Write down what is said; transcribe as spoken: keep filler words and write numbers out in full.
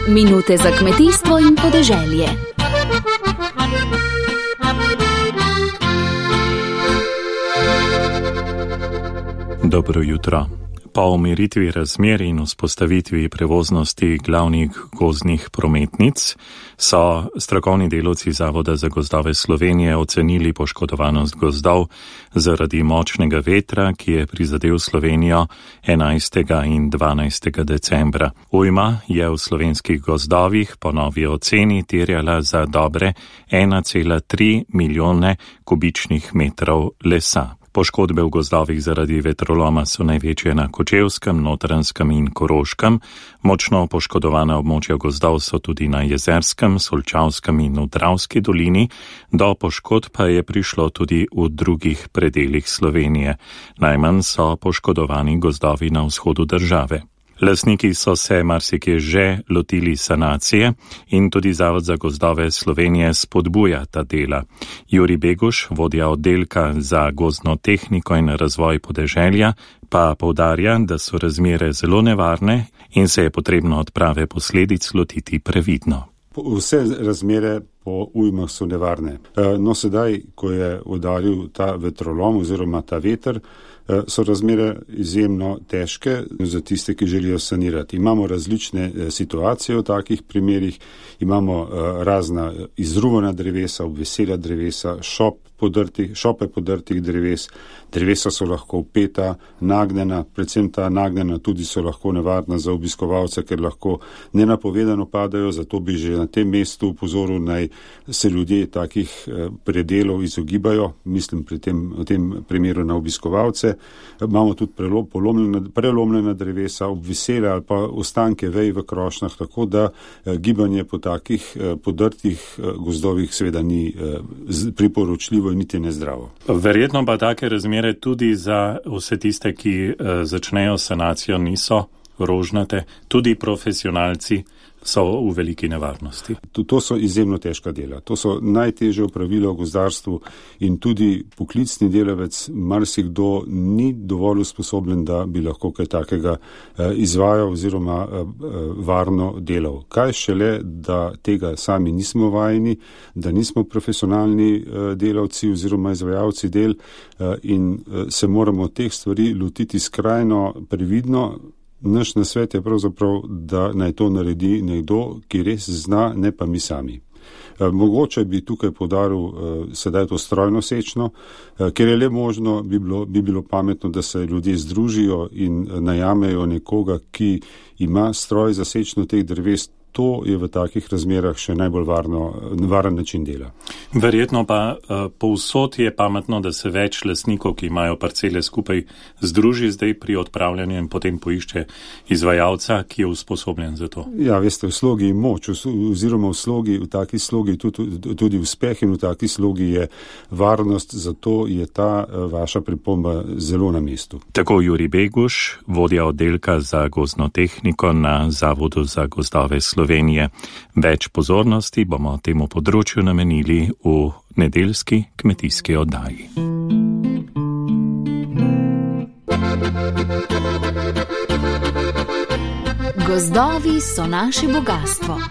Minute za kmetijstvo in podeželje. Dobro jutro. Po umiritvi razmer in vzpostavitvi prevoznosti glavnih gozdnih prometnic so strokovni delavci Zavoda za gozdove Slovenije ocenili poškodovanost gozdov zaradi močnega vetra, ki je prizadel Slovenijo enajstega in dvanajstega decembra. Ujma je v slovenskih gozdovih po novi oceni terjala za dobre ena cela tri milijone kubičnih metrov lesa. Poškodbe v gozdovih zaradi vetroloma so največje na Kočevskem, Notranjskem in Koroškem. Močno poškodovana območja gozdov so tudi na Jezerskem, Solčavskem in v Dravski dolini. Do poškodb pa je prišlo tudi v drugih predelih Slovenije. Najmanj so poškodovani gozdovi na vzhodu države. Lastniki so se marsikje že lotili sanacije in tudi Zavod za gozdove Slovenije spodbuja ta dela. Jurij Beguš, vodja oddelka za gozdno tehniko in razvoj podeželja, pa poudarja, da so razmere zelo nevarne in se je potrebno odprave posledic lotiti previdno. Vse razmere po ujmah so nevarne. No, sedaj, ko je udaril ta vetrolom oziroma ta veter, so razmere izjemno težke za tiste, ki želijo sanirati. Imamo različne situacije v takih primerih, imamo razna izruvana drevesa, obvesela drevesa, šop podrtih, šope podrtih dreves, drevesa so lahko upeta, nagnjena, predvsem ta nagnjena tudi so lahko nevarna za obiskovalce, ker lahko nenapovedano padajo, zato bi že na tem mestu upozoril, naj se ljudje takih predelov izogibajo, mislim pri tem, v tem primeru na obiskovalce. Imamo tudi prelomljena, prelomljena drevesa, obvesele ali pa ostanke vej v krošnjah, tako da gibanje po takih podrtih gozdovih seveda ni priporočljivo in niti nezdravo. Verjetno pa take razmere tudi za vse tiste, ki začnejo sanacijo, niso rožnate, tudi profesionalci so v veliki nevarnosti. To, to so izjemno težka dela. To so najtežje opravila v gozdarstvu in tudi poklicni delavec marsikdo ni dovolj usposobljen, da bi lahko kaj takega eh, izvajal oziroma eh, varno delal. Kaj šele, da tega sami nismo vajeni, da nismo profesionalni eh, delavci oziroma izvajalci del eh, in eh, se moramo teh stvari lotiti skrajno previdno. Naš nasvet je pravzaprav, da naj to naredi nekdo, ki res zna, ne pa mi sami. Mogoče bi tukaj podaril sedaj to strojno sečno, ker je le možno, bi bilo, bi bilo pametno, da se ljudje združijo in najamejo nekoga, ki ima stroj za sečno teh dreves. To je v takih razmerah še najbolj varno, varen način dela. Verjetno pa uh, povsod je pametno, da se več lastnikov, ki imajo parcele skupaj, združi zdaj pri odpravljanju in potem poišče izvajalca, ki je usposobljen za to. Ja, veste, v slogi je moč, oziroma v slogi, v taki slogi tudi, tudi uspeh in v taki slogi je varnost, zato je ta uh, vaša pripomba zelo na mestu. Tako Jurij Beguš, vodja oddelka za gozdno tehniko na Zavodu za gozdove Slovenije. Slovenije. Več pozornosti bomo temu področju namenili v nedeljski kmetijski oddaji. Gozdovi so naše bogastvo.